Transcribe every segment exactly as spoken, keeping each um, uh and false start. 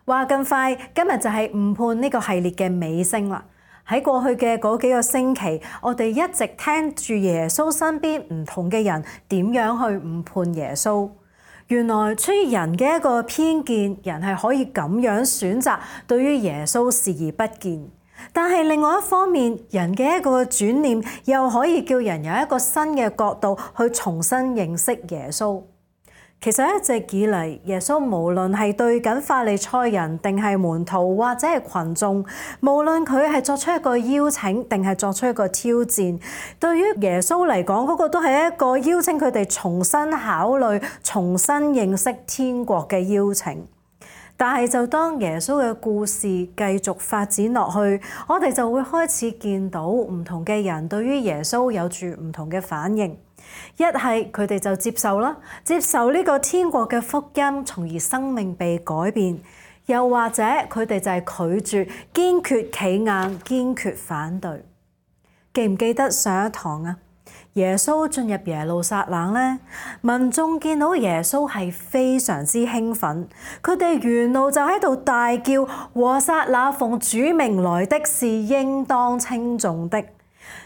話咁快，今日就係誤判呢個系列嘅尾聲啦。喺過去嘅嗰幾個星期，我哋一直聽住耶穌身邊唔同嘅人點樣去誤判耶穌。原來出於人嘅一個偏見，人係可以咁樣選擇對於耶穌視而不見。但係另外一方面，人嘅一個轉念又可以叫人有一個新嘅角度去重新認識耶穌。其實一直以嚟，耶穌無論係對緊法利賽人定係門徒或者係群眾，無論佢係作出一個邀請定係作出一個挑戰，對於耶穌嚟講，嗰個都係一個邀請佢哋重新考慮、重新認識天國嘅邀請。但係就當耶穌嘅故事繼續發展落去，我哋就會開始見到唔同嘅人對於耶穌有住唔同嘅反應。一係佢哋就接受啦，接受呢個天國嘅福音，從而生命被改變；又或者佢哋就係拒絕、堅決企硬、堅決反對。記唔記得上一堂啊？耶穌進入耶路撒冷咧，民眾見到耶穌係非常之興奮，佢哋沿路就喺度大叫：和撒那奉主名來的是應當稱頌的。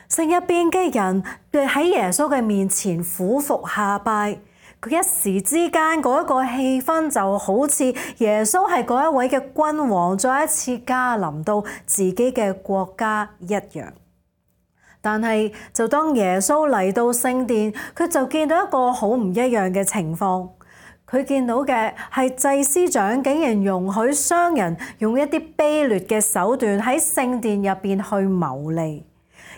城入邊嘅人喺耶穌嘅面前俯伏下拜，佢一時之間嗰一個氣氛就好似耶穌係嗰一位嘅君王再一次駕臨到自己嘅國家一樣。但係就當耶穌嚟到聖殿，佢就見到一個好唔一樣嘅情況。佢見到嘅係祭司長竟然容許商人用一啲卑劣嘅手段喺聖殿入邊去牟利。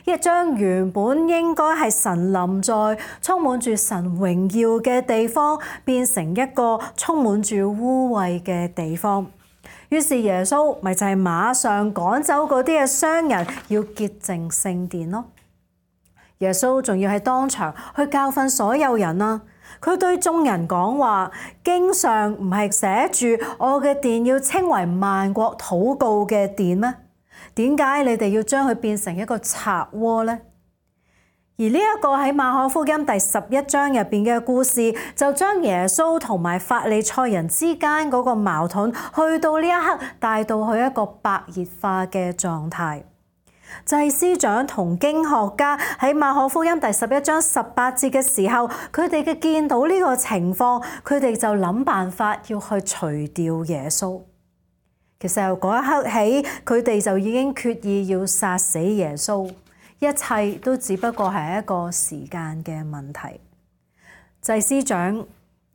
一將原本應該係神臨在、充滿住神榮耀嘅地方，變成一個充滿住污穢嘅地方。於是耶穌咪就係馬上趕走嗰啲嘅商人，要潔淨聖殿咯。耶穌仲要喺當場去教訓所有人啊！佢對眾人講話：經上唔係寫住我嘅殿要稱為萬國禱告嘅殿咩？點解你哋要將佢變成一個賊窩呢？而呢一個喺馬可福音第十一章入邊嘅故事，就將耶穌同埋法利賽人之間嗰個矛盾，去到呢一刻帶到去一個白熱化嘅狀態。祭司長同經學家喺馬可福音第十一章十八節嘅時候，佢哋嘅見到呢個情況，佢哋就諗辦法要去除掉耶穌。其實由嗰一刻起，佢哋就已經決意要殺死耶穌，一切都只不過係一個時間嘅問題。祭司長、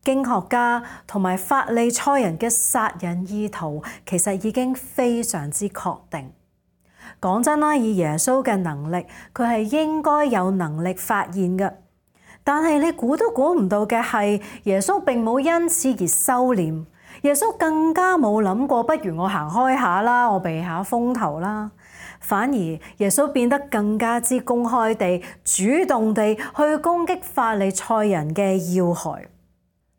經學家同埋法利賽人嘅殺人意圖，其實已經非常之確定。講真啦，以耶穌嘅能力，佢係應該有能力發現嘅。但係你估都估唔到嘅係，耶穌並冇因此而收斂。耶穌更加冇諗過，不如我行開下啦，我避下風頭啦。反而耶穌變得更加之公開地、主動地去攻擊法利賽人嘅要害。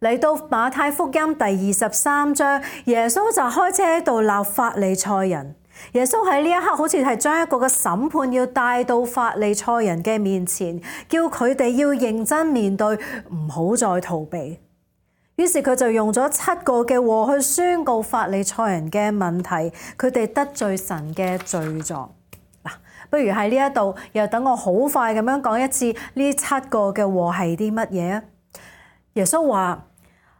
嚟到馬太福音第二十三章，耶穌就開始喺度鬧法利賽人。耶穌喺呢一刻好似係將一個嘅審判要帶到法利賽人嘅面前，叫佢哋要認真面對，唔好再逃避。於是佢就用咗七個嘅禍去宣告法利賽人嘅問題，佢哋得罪神嘅罪狀。嗱，不如喺呢一度又等我好快咁樣講一次呢七個嘅禍係啲乜嘢啊？耶穌話：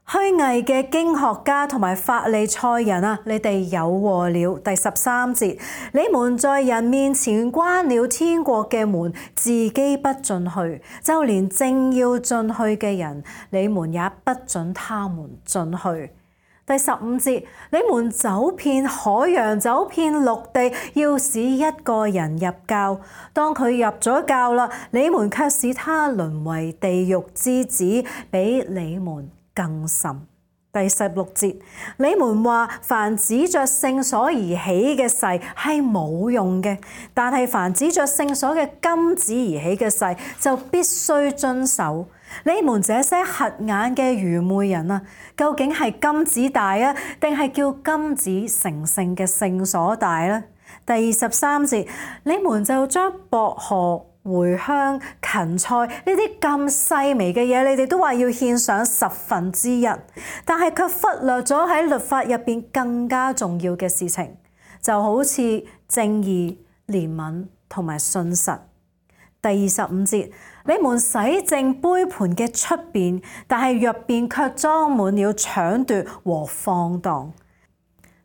虛偽嘅經學家同埋法利賽人啊，你哋有禍了。第十三節，你們在人面前關了天國嘅門，自己不進去，就連正要進去嘅人，你們也不准他們進去。第十五節，你們走遍海洋，走遍陸地，要使一個人入教。當佢入咗教啦，你們卻使他淪為地獄之子，比你們更甚。第十六節，你們話凡指着聖所而起嘅誓係冇用嘅，但係凡指着聖所嘅金子而起嘅誓就必須遵守。你們這些瞎眼嘅愚昧人啊，究竟係金子大啊，定係叫金子成聖嘅聖所大呢？第二十三節，你們就將薄荷、茴香、芹菜呢啲咁細微嘅嘢，你哋都話要獻上十分之一，但係卻忽略咗喺律法入邊更加重要嘅事情，就好似正義、憐憫同埋信實。第二十五節，你們洗淨杯盤嘅出邊，但係入邊卻裝滿了搶奪和放蕩。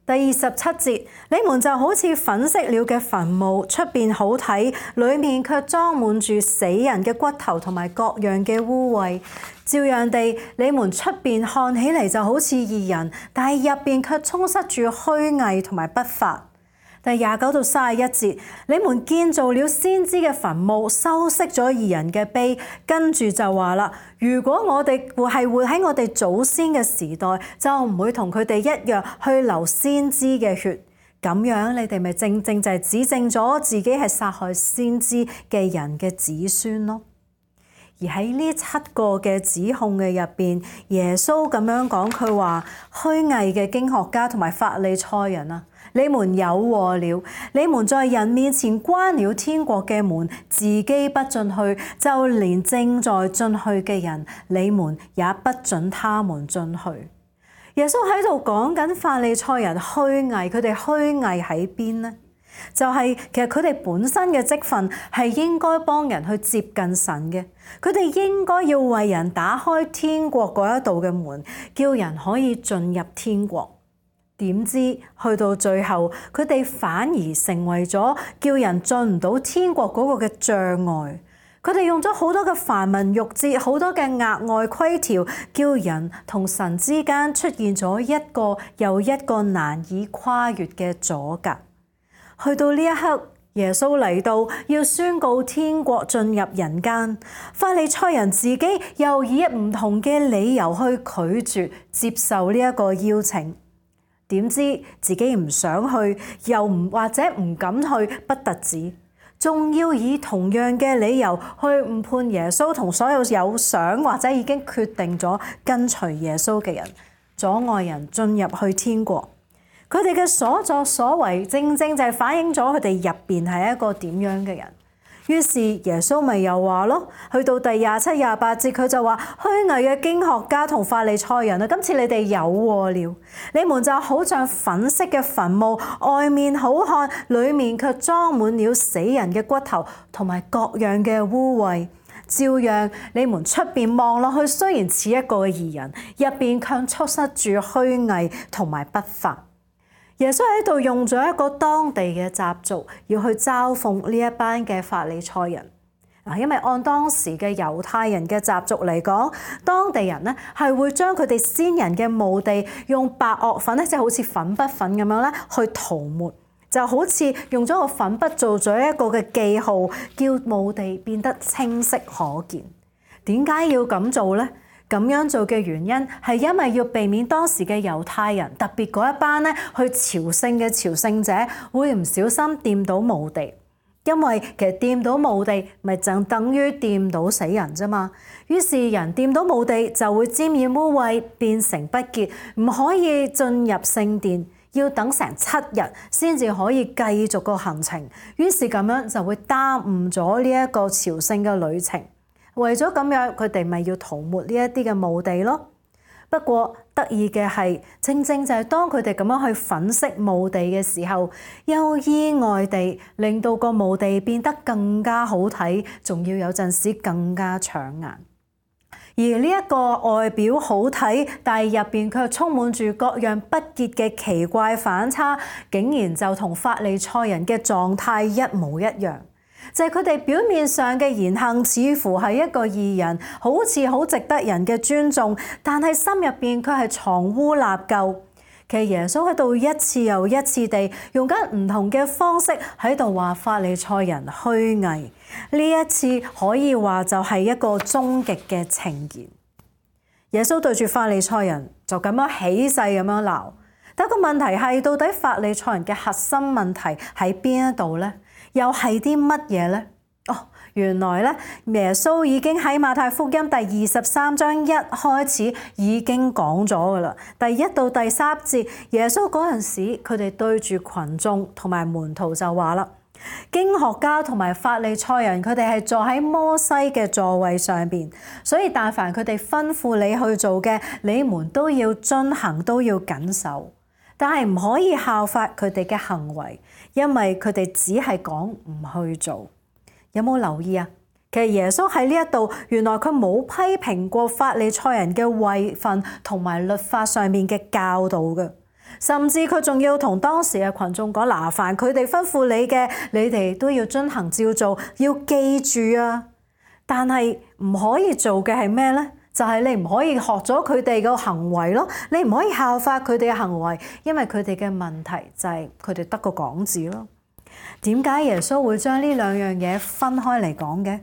第二十七節，你們就好似粉飾了嘅墳墓，出邊好睇，裡面卻裝滿住死人嘅骨頭同埋各樣嘅污穢。照樣地，你們出邊看起嚟就好似義人，但係入邊卻充塞住虛偽同埋不法。第廿九到三十一節，你們建造了先知嘅墳墓，修飾咗義人嘅碑，跟住就話啦：如果我哋係活喺我哋祖先嘅時代，就唔會同佢哋一樣去流先知嘅血。咁樣你哋咪正正就係指證咗自己係殺害先知嘅人嘅子孫咯。而喺呢七個嘅指控嘅入邊，耶穌咁樣講，佢話虛偽嘅經學家同埋法利賽人啊，你們有禍了！你們在人面前關了天國嘅門，自己不進去，就連正在進去嘅人，你們也不准他們進去。耶穌喺度講緊法利賽人虛偽，佢哋虛偽喺邊呢？就係、是、其實佢哋本身嘅職分係應該幫人去接近神嘅，佢哋應該要為人打開天國嗰一道嘅門，叫人可以進入天國。點知去到最後，佢哋反而成為咗叫人進唔到天國嗰個嘅障礙。佢哋用咗好多嘅繁文縟節，好多嘅額外規條，叫人同神之間出現咗一個又一個難以跨越嘅阻隔。去到呢一刻，耶穌嚟到要宣告天國進入人間，法利賽人自己又以唔同嘅理由去拒絕接受呢一個邀請。點知自己唔想去，又唔或者唔敢去，不特止，仲要以同樣嘅理由去誤判耶穌同所有有想或者已經決定咗跟隨耶穌嘅人，阻礙人進入去天國。佢哋嘅所作所為，正正就係反映咗佢哋入邊係一個點樣嘅人。於是耶穌咪又話咯，去到第廿七、廿八節，佢就話虛偽嘅經學家同法利賽人啊，今次你哋有禍了！你們就好像粉飾嘅墳墓，外面好看，裡面卻裝滿了死人嘅骨頭同埋各樣嘅污穢。照樣你們出邊望落去，雖然似一個義人，入邊卻充塞住虛偽同埋不法。耶穌喺度用咗一個當地嘅習俗，要去嘲諷呢一班嘅法利賽人。啊，因為按當時嘅猶太人嘅習俗嚟講，當地人咧係會將佢哋先人嘅墓地用白堊粉咧，即係好似粉筆粉咁樣咧去塗抹，就好似用咗個粉筆做咗一個嘅記號，叫墓地變得清晰可見。點解要咁做呢？咁樣做嘅原因係因為要避免當時嘅猶太人，特別嗰一班咧去朝聖嘅朝聖者會唔小心掂到墓地，因為其實掂到墓地咪就等於掂到死人啫嘛。於是人掂到墓地就會沾染污穢，變成不潔，唔可以進入聖殿，要等成七日先至可以繼續個行程。於是咁樣就會耽誤咗呢一個朝聖嘅旅程。為咗咁樣，佢哋咪要塗抹呢一啲嘅墓地咯。不過得意嘅係，正正就係當佢哋咁樣去粉飾墓地嘅時候，又意外地令到個墓地變得更加好睇，仲要有陣時更加搶眼。而呢一個外表好睇，但係入邊卻充滿住各樣不潔嘅奇怪反差，竟然就同法利賽人嘅狀態一模一樣。就係佢哋表面上嘅言行似乎係一個義人，好似好值得人嘅尊重，但係心入邊佢係藏污納垢。其實耶穌喺度一次又一次地用緊唔同嘅方式喺度話法利賽人虛偽。呢一次可以話就係一個終極嘅呈現。耶穌對住法利賽人就咁樣起勢咁樣鬧，但個問題係到底法利賽人嘅核心問題喺邊一度呢？又係啲乜嘢呢？哦，原來咧，耶穌已經喺馬太福音第二十三章一開始已經講咗噶啦。第一到第三節，耶穌嗰陣時，佢哋對住群眾同埋門徒就話啦：經學家同埋法利賽人，佢哋係坐喺摩西嘅座位上邊，所以但凡佢哋吩咐你去做嘅，你們都要遵行，都要謹守。但係唔可以效法佢哋嘅行為，因為佢哋只係講唔去做。有冇留意啊？其實耶穌喺呢一度，原來佢冇批評過法利賽人嘅位份同埋律法上面嘅教導嘅，甚至佢仲要同當時嘅群眾講：嗱，凡佢哋吩咐你嘅，你哋都要遵行照做，要記住啊！但係唔可以做嘅係咩呢？就係你唔可以學咗佢哋嘅行為咯，你唔可以效法佢哋嘅行為，因為佢哋嘅問題就係佢哋得個講字咯。點解耶穌會將呢兩樣嘢分開嚟講嘅？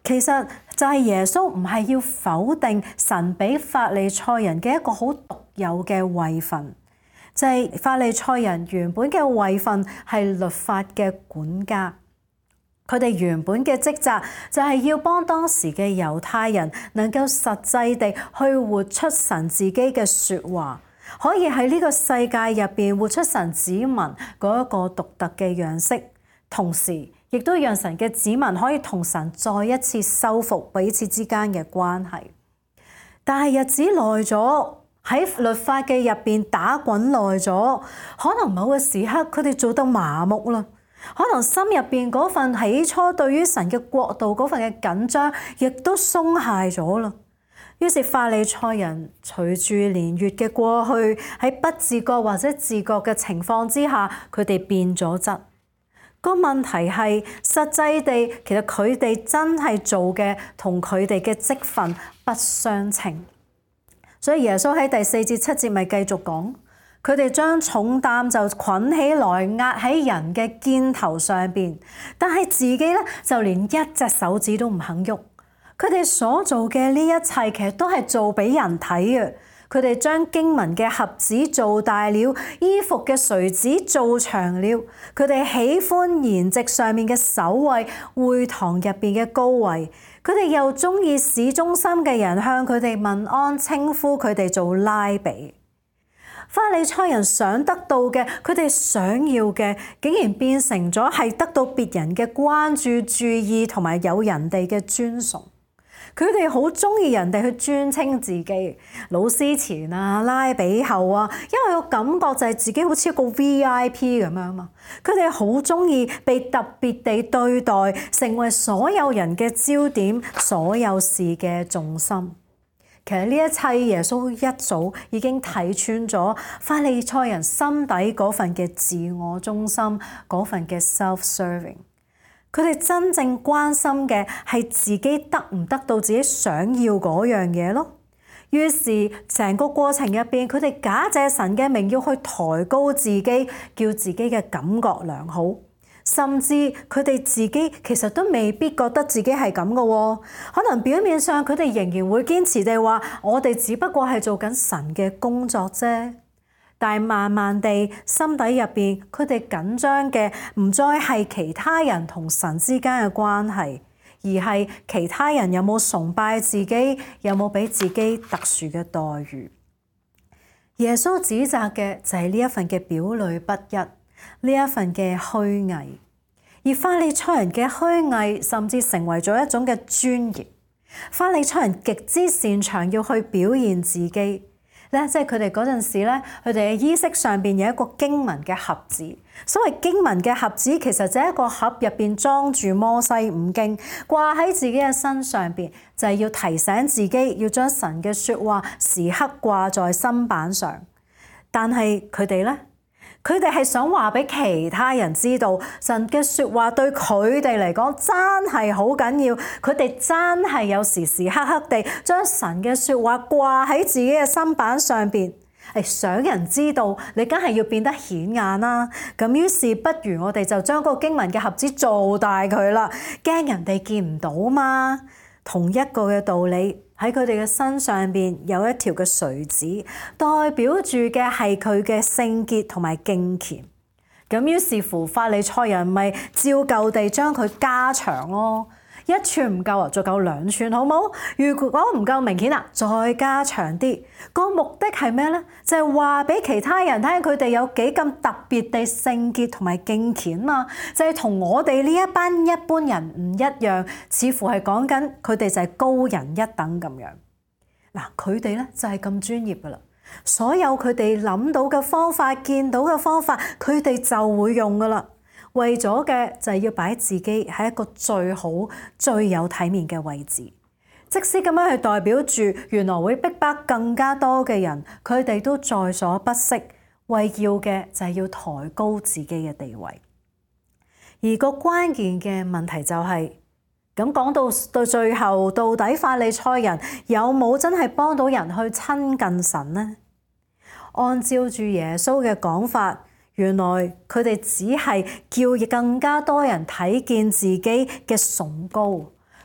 其實就係耶穌唔係要否定神俾法利賽人嘅一個好獨有嘅位份，就係法利賽人原本嘅位份係律法嘅管家，佢哋原本嘅職責就係要幫當時嘅猶太人能夠實際地去活出神自己嘅說話，可以喺呢個世界入邊活出神子民嗰一個獨特嘅樣式，同時亦都讓神嘅子民可以同神再一次修復彼此之間嘅關係。但係日子耐咗，喺律法嘅入邊打滾耐咗，可能某個時刻佢哋做得麻木啦，可能心入邊嗰份起初對於神嘅國度嗰份嘅緊張，亦都鬆懈咗啦。於是法利賽人隨住年月嘅過去，喺不自覺或者自覺嘅情況之下，佢哋變咗質。個問題係實際地，其實佢哋真係做嘅同佢哋嘅職分不相稱。所以耶穌喺第四至七節咪繼續講，佢哋將重擔就捆起來壓喺人嘅肩頭上邊，但係自己咧就連一隻手指都唔肯喐。佢哋所做嘅呢一切其實都係做俾人睇嘅。佢哋將經文嘅盒子做大了，衣服嘅垂子做長了。佢哋喜歡筵席上面嘅首位，會堂入邊嘅高位。佢哋又中意市中心嘅人向佢哋問安，稱呼佢哋做拉比。法利賽人想得到嘅，佢哋想要嘅，竟然變成咗係得到別人嘅關注、注意同埋有人哋嘅尊崇。佢哋好中意人哋去尊稱自己老師前啊、拉比後啊，因為個感覺就係自己好似一個 V I P 咁樣嘛。佢哋好中意被特別地對待，成為所有人嘅焦點，所有事嘅重心。其實呢一切耶穌一早已經睇穿咗法利賽人心底嗰份嘅自我中心，嗰份嘅 self-serving。佢哋真正關心嘅係自己得唔得到自己想要嗰樣嘢咯。於是成個過程入邊，佢哋假借神嘅名要去抬高自己，叫自己嘅感覺良好，甚至佢哋自己其實都未必覺得自己係咁嘅喎。可能表面上佢哋仍然會堅持地話：我哋只不過係做緊神嘅工作啫。但係慢慢地，心底入邊，佢哋緊張嘅唔再係其他人同神之間嘅關係，而係其他人有冇崇拜自己，有冇俾自己特殊嘅待遇。耶穌指責嘅就係呢一份嘅表裏不一，呢一份嘅虛偽。而法利賽人嘅虛偽，甚至成為咗一種嘅專業。法利賽人極之擅長要去表現自己。咧，即係佢哋嗰陣時咧，佢哋嘅衣飾上邊有一個經文嘅盒子。所謂經文嘅盒子，其實就係一個盒入邊裝住摩西五經，掛喺自己嘅身上邊，就係要提醒自己要將神嘅説話時刻掛在心板上。但係佢哋咧，佢哋係想話俾其他人知道，神嘅説話對佢哋嚟講真係好緊要。佢哋真係有時時刻刻地將神嘅説話掛喺自己嘅心板上邊，係想人知道，你梗係要變得顯眼啦。咁於是不如我哋就將嗰個經文嘅盒子做大佢啦，驚人哋見唔到嘛。同一個嘅道理。喺佢哋嘅身上邊有一條嘅垂子，代表住嘅係佢嘅聖潔同埋敬虔。咁於是乎，法利賽人咪照舊地將佢加長咯。一寸唔夠啊，再夠兩寸好冇？如果唔夠明顯啊，再加長啲。個目的係咩呢？就係話俾其他人聽佢哋有幾咁特別地聖潔同埋敬虔嘛。就係同我哋呢一班一般人唔一樣，似乎係講緊佢哋就係高人一等咁樣。嗱，佢哋咧就係咁專業噶啦，所有佢哋諗到嘅方法、見到嘅方法，佢哋就會用噶啦。為咗嘅就係要擺自己喺一個最好、最有體面嘅位置，即使咁樣係代表住原來會逼迫更加多嘅人，佢哋都在所不惜，為要嘅就係要抬高自己嘅地位。而個關鍵嘅問題就係，咁講到到最後，到底法利賽人有冇真係幫到人去親近神呢？按照住耶穌嘅講法，原來佢哋只係叫更加多人睇見自己嘅崇高，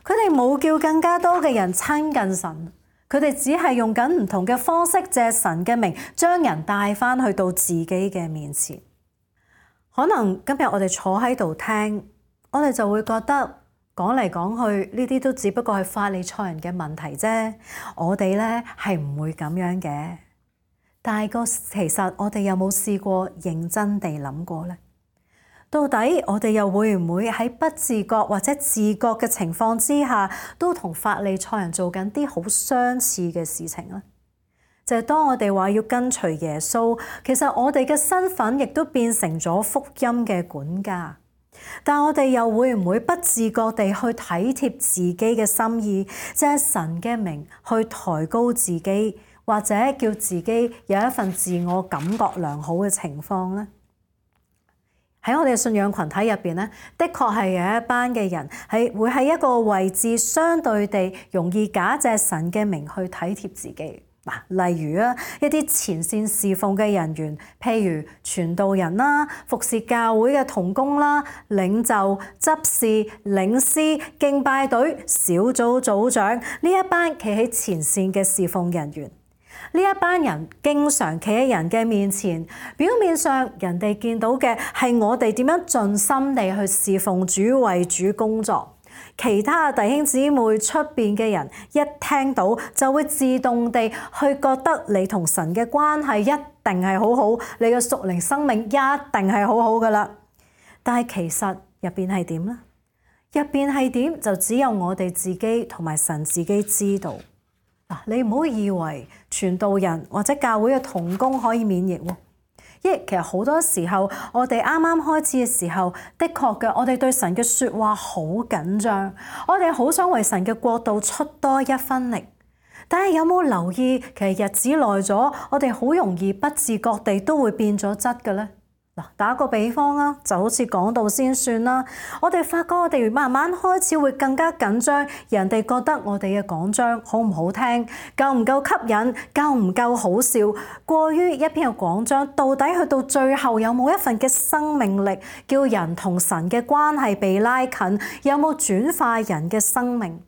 佢哋冇叫更加多嘅人親近神，佢哋只係用緊唔同嘅方式借神嘅名將人帶返去到自己嘅面前。可能今日我哋坐喺度聽，我哋就會覺得講嚟講去呢啲都只不過係法利賽人嘅問題啫，我哋咧係唔會咁樣嘅。但係個其實我哋有冇試過認真地諗過呢？到底我哋又會唔會喺不自覺或者自覺嘅情況之下，都同法利賽人做緊啲好相似嘅事情呢？就係當我哋話要跟隨耶穌，其實我哋嘅身份亦都變成咗福音嘅管家。但我哋又會唔會不自覺地去體貼自己嘅心意，即係神嘅名去抬高自己，或者叫自己有一份自我感覺良好嘅情況呢？喺我哋嘅信仰群體入邊咧，的確係有一班嘅人係會喺一個位置相對地容易假借神嘅名去體貼自己。嗱，例如啊，一啲前線侍奉嘅人員，譬如傳道人啦、服侍教會嘅同工啦、領袖、執事、領詩、敬拜隊、小組組長呢一班企喺前線嘅侍奉人員。呢一班人經常企喺人嘅面前，表面上人哋見到嘅係我哋點樣盡心地去侍奉主、為主工作。其他弟兄姊妹出邊嘅人一聽到就會自動地去覺得你同神嘅關係一定係好好，你嘅屬靈生命一定係好好噶啦。但係其實入邊係點呢？入邊係點就只有我哋自己同埋神自己知道。嗱，你唔好以為傳道人或者教會嘅同工可以免疫喎。因為其實好多時候，我哋啱啱開始嘅時候，的確嘅，我哋對神嘅説話好緊張，我哋好想為神嘅國度出多一分力。但係有冇留意，其實日子耐咗，我哋好容易不自覺地都會變咗質嘅咧。嗱，打個比方啊，就好似講道先算啦。我哋發覺我哋慢慢開始會更加緊張，人哋覺得我哋嘅講章好唔好聽，夠唔夠吸引，夠唔夠好笑。過於一篇嘅講章，到底去到最後有冇一份嘅生命力，叫人同神嘅關係被拉近，有冇轉化人嘅生命？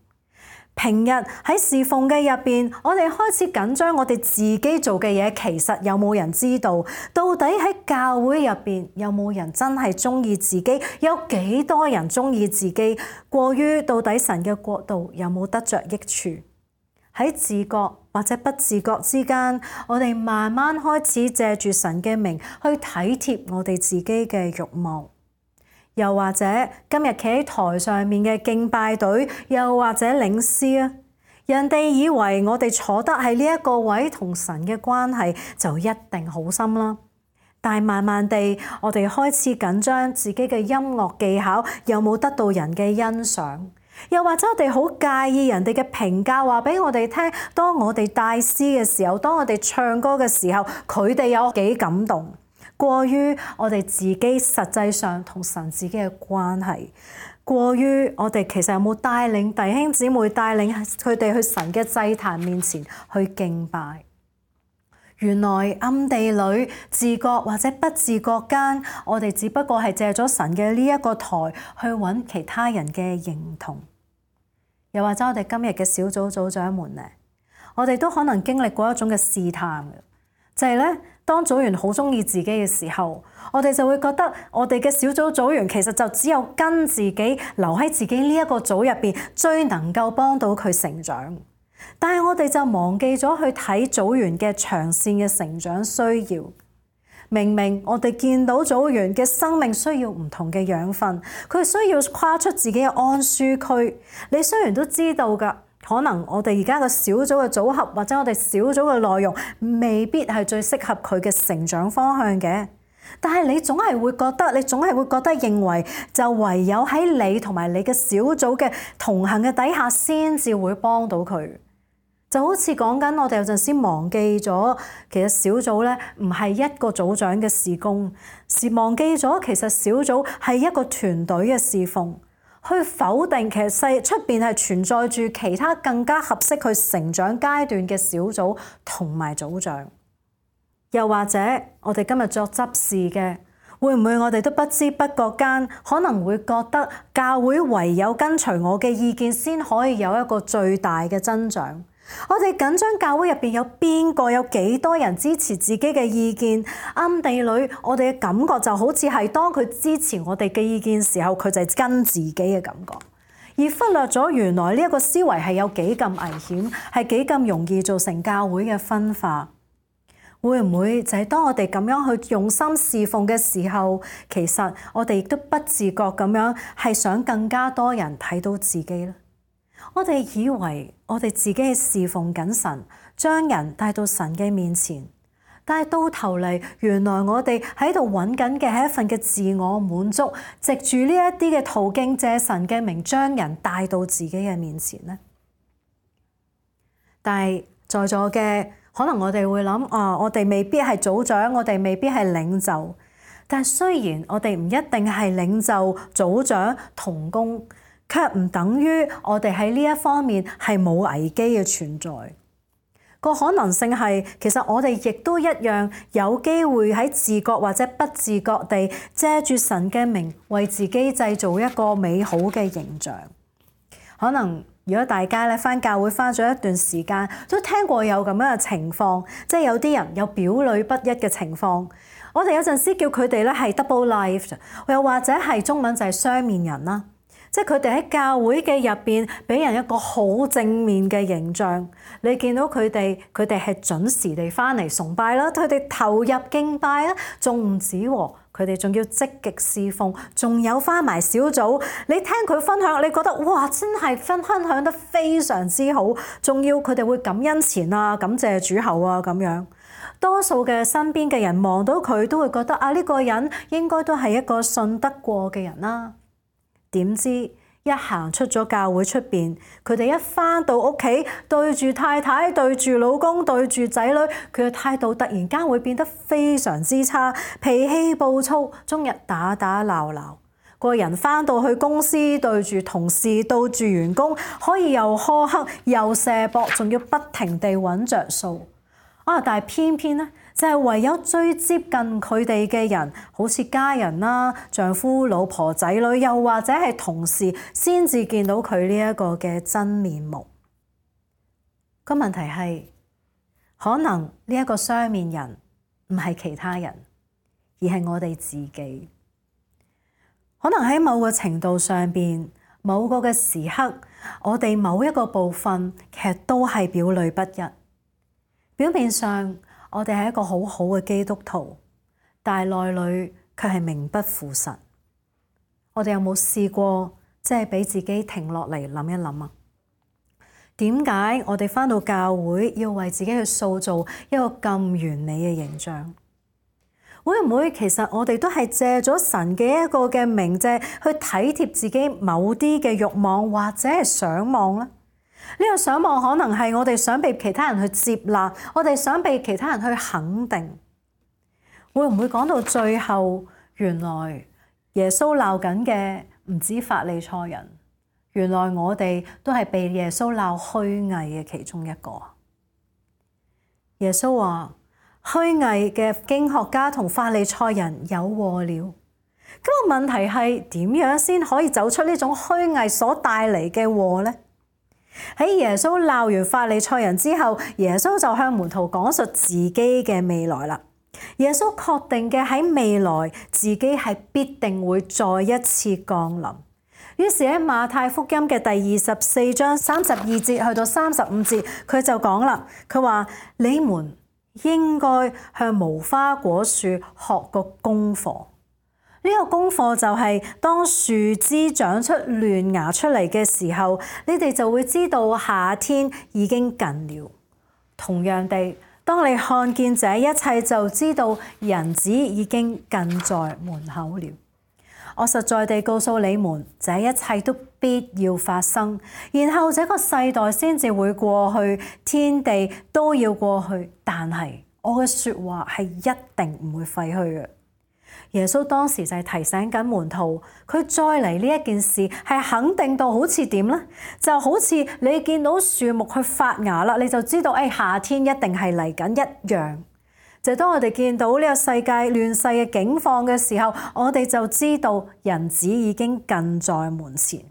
平日喺侍奉嘅入邊，我哋開始緊張，我哋自己做嘅嘢其實有冇人知道？到底喺教會入邊有冇人真係中意自己？有幾多人中意自己？過於到底神嘅國度有冇得着益處？喺自覺或者不自覺之間，我哋慢慢開始借住神嘅名去體貼我哋自己嘅慾望。又或者今日企喺台上面嘅敬拜隊，又或者領詩啊，人哋以為我哋坐得喺呢一個位同神嘅關係就一定好深啦。但係慢慢地，我哋開始緊張自己嘅音樂技巧有冇得到人嘅欣賞，又或者我哋好介意人哋嘅評價，話俾我哋聽，當我哋帶詩嘅時候，當我哋唱歌嘅時候，佢哋有幾感動。過於我哋自己實際上同神自己嘅關係，過於我哋其實有冇帶領弟兄姊妹帶領佢哋去神嘅祭壇面前去敬拜？原來暗地裏自覺或者不自覺間，我哋只不過係借咗神嘅呢一個台去揾其他人嘅認同。又或者我哋今日嘅小組組長們咧，我哋都可能經歷過一種嘅試探嘅，就係咧。當組員好鍾意自己嘅時候，我哋就會覺得我哋嘅小組組員其實就只有跟自己留喺自己呢一個組入邊，最能夠幫到佢成長。但係我哋就忘記咗去睇組員嘅長線嘅成長需要。明明我哋見到組員嘅生命需要唔同嘅養分，佢需要跨出自己嘅安舒區。你雖然都知道㗎，可能我哋而家個小組嘅組合或者我哋小組嘅內容未必係最適合佢嘅成長方向嘅，但係你總係會覺得，你總係會覺得認為就唯有喺你同埋你嘅小組嘅同行嘅底下先至會幫到佢。就好似講緊我哋有陣時忘記咗，其實小組咧唔係一個組長嘅事工，是忘記咗其實小組係一個團隊嘅侍奉，去否定其實世出邊係存在住其他更加合適佢成長階段嘅小組同埋組長。又或者我哋今日作執事嘅，會唔會我哋都不知不覺間可能會覺得教會唯有跟隨我嘅意見先可以有一個最大嘅增長？我哋緊張教會入邊有邊個有幾多人支持自己嘅意見？暗地裏我哋嘅感覺就好似係當佢支持我哋嘅意見時候，佢就係跟自己嘅感覺，而忽略咗原來呢一個思維係有幾咁危險，係幾咁容易造成教會嘅分化。會唔會就係當我哋咁樣去用心侍奉嘅時候，其實我哋亦都不自覺咁樣係想更加多人睇到自己呢？我哋以為我哋自己係侍奉緊神，將人帶到神嘅面前，但係到頭嚟，原來我哋喺度揾緊嘅係一份嘅自我滿足，藉住呢一啲嘅途徑，借神嘅名將人帶到自己嘅面前呢？但係在座嘅可能我哋會諗啊，我哋未必係組長，我哋未必係領袖，但係雖然我哋唔一定係領袖、組長、同工，卻唔等於我哋喺呢一方面係冇危機嘅存在。個可能性係，其實我哋亦都一樣有機會喺自覺或者不自覺地借住神嘅名，為自己製造一個美好嘅形象。可能如果大家咧返教會返咗一段時間，都聽過有咁樣嘅情況，即係有啲人有表裏不一嘅情況。我哋有陣時叫佢哋咧係 double life， 又或者係中文就係雙面人啦。即係佢哋喺教會嘅入邊，俾人一個好正面嘅形象。你見到佢哋，佢哋係準時地返嚟崇拜啦，佢哋投入敬拜啦，仲唔止喎，佢哋仲要積極侍奉，仲有返埋小組。你聽佢分享，你覺得哇，真係分分享得非常之好，仲要佢哋會感恩前啊，感謝主後啊咁樣。多數嘅身邊嘅人望到佢，都會覺得啊，呢個人應該都係一個信得過嘅人啦。點知一行出咗教會出邊，佢哋一返到屋企，對住太太、對住老公、對住仔女，佢嘅態度突然間會變得非常之差，脾氣暴躁，終日打打鬧鬧。個人返到去公司，對住同事、對住員工，可以又苛刻又射博，仲要不停地揾着數。啊！但係偏偏咧，就係唯有最接近佢哋嘅人，好似家人啦、丈夫、老婆、仔女，又或者係同事，先至見到佢呢一個嘅真面目。個問題係，可能呢一個雙面人唔係其他人，而係我哋自己。可能喺某個程度上邊，某個嘅時刻，我哋某一個部分其實都係表裏不一。表面上我哋係一個好好嘅基督徒，但係內裏卻係名不副實。我哋有冇試過即係俾自己停落嚟諗一諗啊？點解我哋返到教會要為自己去塑造一個咁完美嘅形象？會唔會其實我哋都係借咗神嘅一個嘅名藉去體貼自己某啲嘅慾望或者係想望呢？呢個想望可能係我哋想被其他人去接納，我哋想被其他人去肯定。會唔會講到最後，原來耶穌鬧緊嘅唔止法利賽人，原來我哋都係被耶穌鬧虛偽嘅其中一個。耶穌話：虛偽嘅經學家同法利賽人有禍了。咁個問題係點樣先可以走出呢種虛偽所帶嚟嘅禍呢？喺耶穌鬧完法利賽人之後，耶穌就向門徒講述自己嘅未來啦。耶穌確定嘅喺未來自己係必定會再一次降臨。於是喺馬太福音嘅第二十四章三十二節去到三十五節，佢就講啦，佢話你們應該向無花果樹學個功課。呢個功課就係當樹枝長出嫩芽出嚟嘅時候，你哋就會知道夏天已經近了。同樣地，當你看見這一切，就知道人子已經近在門口了。我實在地告訴你們，這一切都必要發生，然後這個世代先至會過去，天地都要過去，但係我嘅說話係一定唔會廢去嘅。耶穌當時就係提醒緊門徒，佢再嚟呢一件事係肯定到好似點呢？就好似你見到樹木去發芽啦，你就知道誒、哎、夏天一定係嚟緊一樣。就當我哋見到呢個世界亂世嘅境況嘅時候，我哋就知道人子已經近在門前。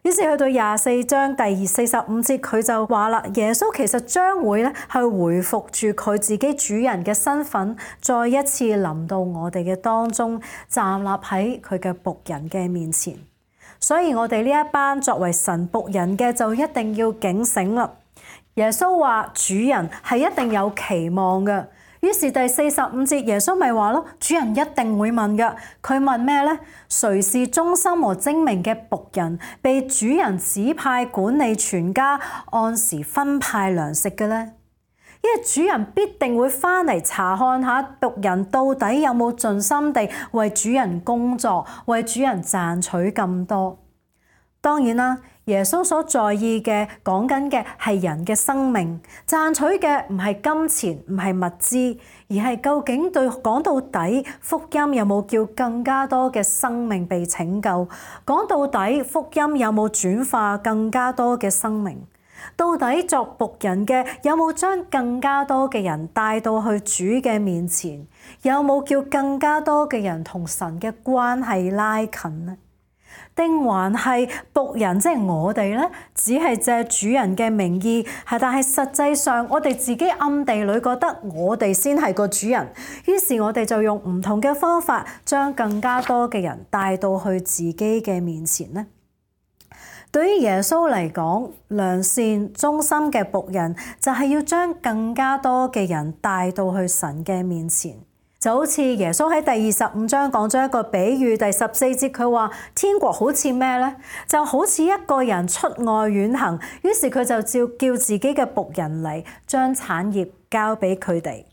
於是去到廿四章第二四十五節，佢就話啦，耶穌其實將會咧去回復住佢自己主人嘅身份，再一次臨到我哋嘅當中，站立喺佢嘅僕人嘅面前。所以我哋呢一班作為神僕人嘅，就一定要警醒啦。耶穌話主人係一定有期望嘅。於是第四十五節，耶穌咪話咯，主人一定會問嘅。佢問咩呢？誰是忠心和精明嘅僕人，被主人指派管理全家，按時分派糧食嘅呢？因為主人必定會翻嚟查看下僕人到底有冇盡心地為主人工作，為主人賺取咁多。當然啦，耶穌所在意嘅講緊嘅係人嘅生命，賺取嘅唔係金錢，唔係物資，而係究竟對講到底福音有冇叫更加多嘅生命被拯救？講到底福音有冇轉化更加多嘅生命？到底作僕人嘅有冇將更加多嘅人帶到去主嘅面前？有冇叫更加多嘅人同神嘅關係拉近呢？定還係僕人，即係我哋咧，只係借主人嘅名義，係但係實際上我哋自己暗地裏覺得我哋先係個主人，於是我哋就用唔同嘅方法將更加多嘅人帶到去自己嘅面前呢？對於耶穌嚟講，良善忠心嘅僕人就係要將更加多嘅人帶到去神嘅面前。就好似耶穌喺第二十五章講咗一個比喻，第十四節佢話天國好似咩呢？就好似一個人出外遠行，於是佢就照叫自己嘅僕人嚟，將產業交俾佢哋。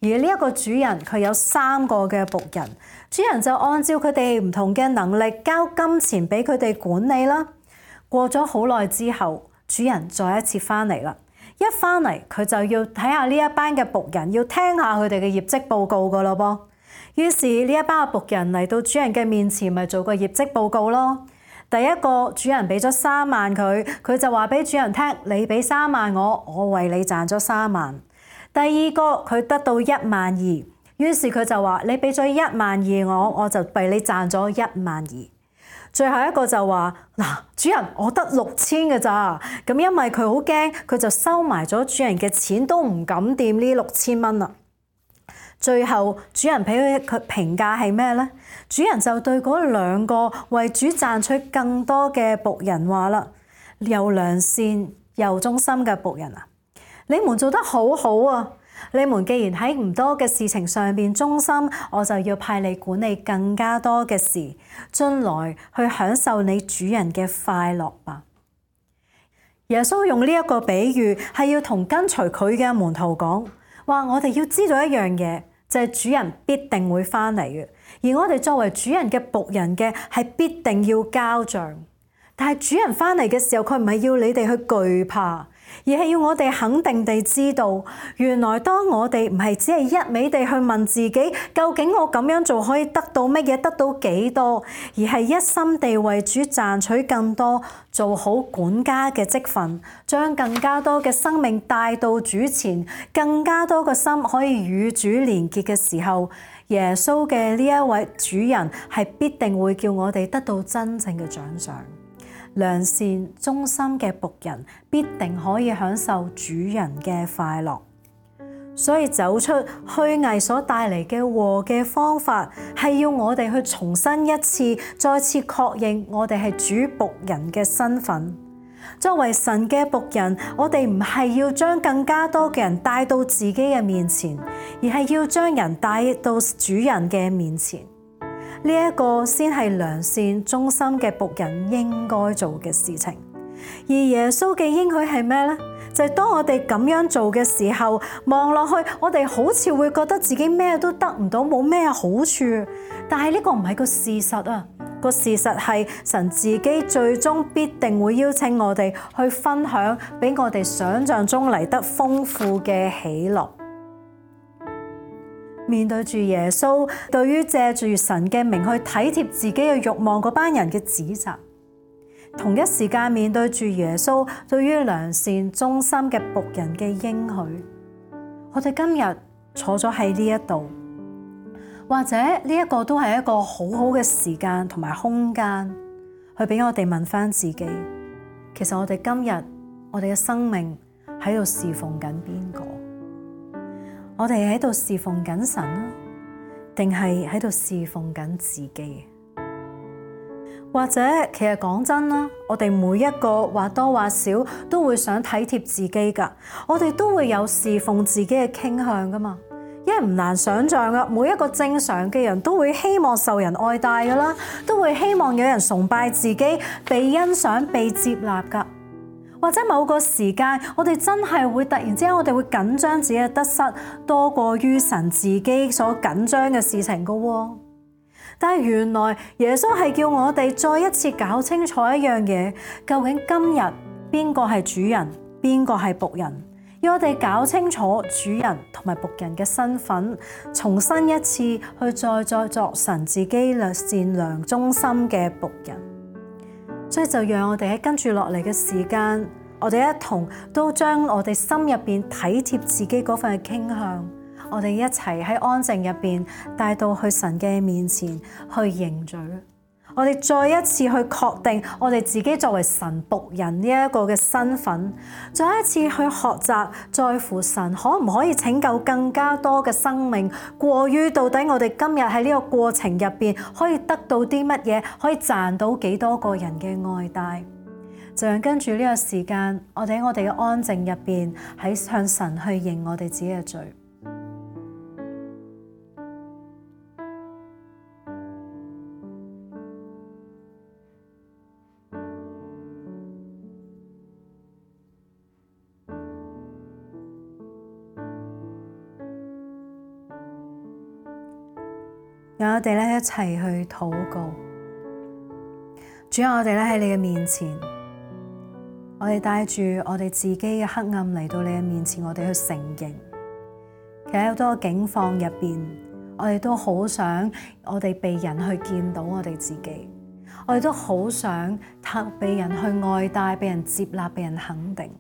而呢一個主人佢有三個嘅僕人，主人就按照佢哋唔同嘅能力交金錢俾佢哋管理啦。過咗好耐之後，主人再一次翻嚟啦。一翻嚟佢就要睇下呢一班嘅僕人，要聽下佢哋嘅業績報告噶咯噃。於是呢一班嘅僕人嚟到主人嘅面前，咪做個業績報告咯。第一個主人俾咗三萬佢，佢就話俾主人聽：你俾三萬我，我為你賺咗三萬。第二個佢得到一萬二，於是佢就話：你俾咗一萬二我，我就為你賺咗一萬二。最後一個就話：嗱，主人，我得六千嘅咋。咁因為佢好驚，佢就收埋咗主人嘅錢，都唔敢掂呢六千蚊啦。最後主人俾佢佢評價係咩呢？主人就對嗰兩個為主賺取更多嘅僕人話啦：又良善又忠心嘅僕人啊，你們做得好好啊！你們既然喺唔多嘅事情上邊忠心，我就要派你管理更加多嘅事，進來去享受你主人嘅快樂吧。耶穌用呢一個比喻係要同跟隨佢嘅門徒講話，我哋要知道一樣嘢，就係主人必定會翻嚟嘅，而我哋作為主人嘅僕人嘅係必定要交賬。但係主人翻嚟嘅時候，佢唔係要你哋去懼怕，而係要我哋肯定地知道，原來當我哋唔係只係一味地去問自己，究竟我咁樣做可以得到乜嘢，得到幾多，而係一心地為主賺取更多，做好管家嘅職分，將更加多嘅生命帶到主前，更加多嘅心可以與主連結嘅時候，耶穌嘅呢一位主人係必定會叫我哋得到真正嘅獎賞。良善忠心嘅僕人必定可以享受主人嘅快樂。所以走出虛偽所帶嚟嘅禍嘅方法，係要我哋去重新一次、再次確認我哋係主僕人嘅身份。作為神嘅僕人，我哋唔係要將更加多嘅人帶到自己嘅面前，而係要將人帶到主人嘅面前。呢一個先係良善忠心嘅僕人應該做嘅事情。而耶穌嘅應許係咩呢？就係當我哋咁樣做嘅時候，望落去，我哋好似會覺得自己咩都得唔到，冇咩好處。但係呢個唔係個事實啊！個事實係神自己最終必定會邀請我哋去分享，比我哋想象中嚟得豐富嘅喜樂。面對住耶穌，對於借住神嘅名去體貼自己嘅慾望嗰班人嘅指責，同一時間面對住耶穌對於良善忠心嘅僕人嘅應許，我哋今日坐咗喺呢一度，或者呢一個都係一個好好嘅時間同埋空間，去俾我哋問翻自己，其實我哋今日我哋嘅生命喺度侍奉緊邊個？我哋喺度侍奉緊神啊，定係喺度侍奉緊自己？或者其實講真啦，我哋每一個或多或少都會想體貼自己噶，我哋都會有侍奉自己嘅傾向噶嘛。因為唔難想象噶，每一個正常嘅人都會希望受人愛戴噶啦，都會希望有人崇拜自己、被欣賞、被接納噶。或者某個時間，我哋真係會突然之間，我哋會緊張自己嘅得失多過於神自己所緊張嘅事情噶喎。但係原來耶穌係叫我哋再一次搞清楚一樣嘢，究竟今日邊個係主人，邊個係僕人？要我哋搞清楚主人同埋僕人嘅身份，重新一次去再再作神自己善良忠心嘅僕人。所以就讓我哋喺跟住落嚟嘅時間，我哋一同都將我哋心入邊體貼自己嗰份嘅傾向，我哋一齊喺安靜入邊帶到去神嘅面前去認罪。我哋再一次去確定我哋自己作為神僕人呢一個嘅身份，再一次去學習在乎神可唔可以拯救更加多嘅生命，過於到底我哋今日喺呢個過程入邊可以得到啲乜嘢，可以賺到幾多個人嘅愛戴。就讓跟住呢個時間，我哋喺我哋嘅安靜入邊，喺向神去認我哋自己嘅罪。讓我哋咧一齊去禱告。主啊，我哋咧喺你嘅面前，我哋帶住我哋自己嘅黑暗嚟到你嘅面前，我哋去承認。其實好多境況入邊，我哋都好想我哋被人去見到我哋自己，我哋都好想被人去愛戴、被人接納、被人肯定。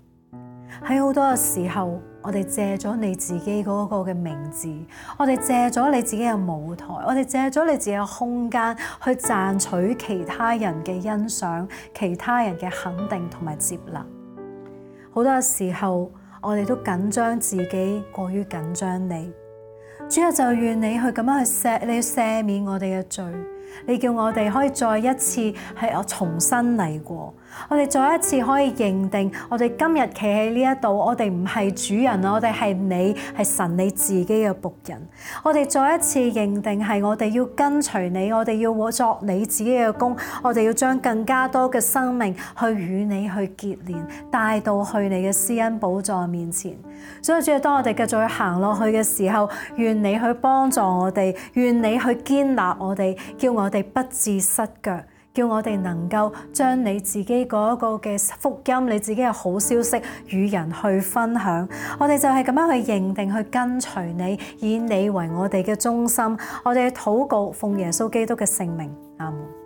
喺好多嘅時候，我哋借咗你自己嗰個嘅名字，我哋借咗你自己嘅舞台，我哋借咗你自己嘅空間去賺取其他人嘅欣賞、其他人嘅肯定同埋接納。好多嘅時候，我哋都緊張自己，過於緊張你。主啊，就願你去咁樣去赦，你赦免我哋嘅罪。你叫我哋可以再一次係我重新嚟過，我哋再一次可以認定，我哋今日企喺呢一度，我哋唔係主人，我哋係你，係神你自己嘅僕人。我哋再一次認定係我哋要跟隨你，我哋要作你自己嘅工，我哋要將更加多嘅生命去與你去結連，帶到去你嘅施恩寶座面前。所以主啊，當我哋繼續去行落去嘅時候，願你去幫助我哋，願你去堅立我哋，叫我哋不致失腳，叫我哋能夠將你自己嗰個嘅福音，你自己嘅好消息與人去分享。我哋就係咁樣去認定，去跟隨你，以你為我哋嘅中心。我哋禱告，奉耶穌基督嘅聖名，阿門。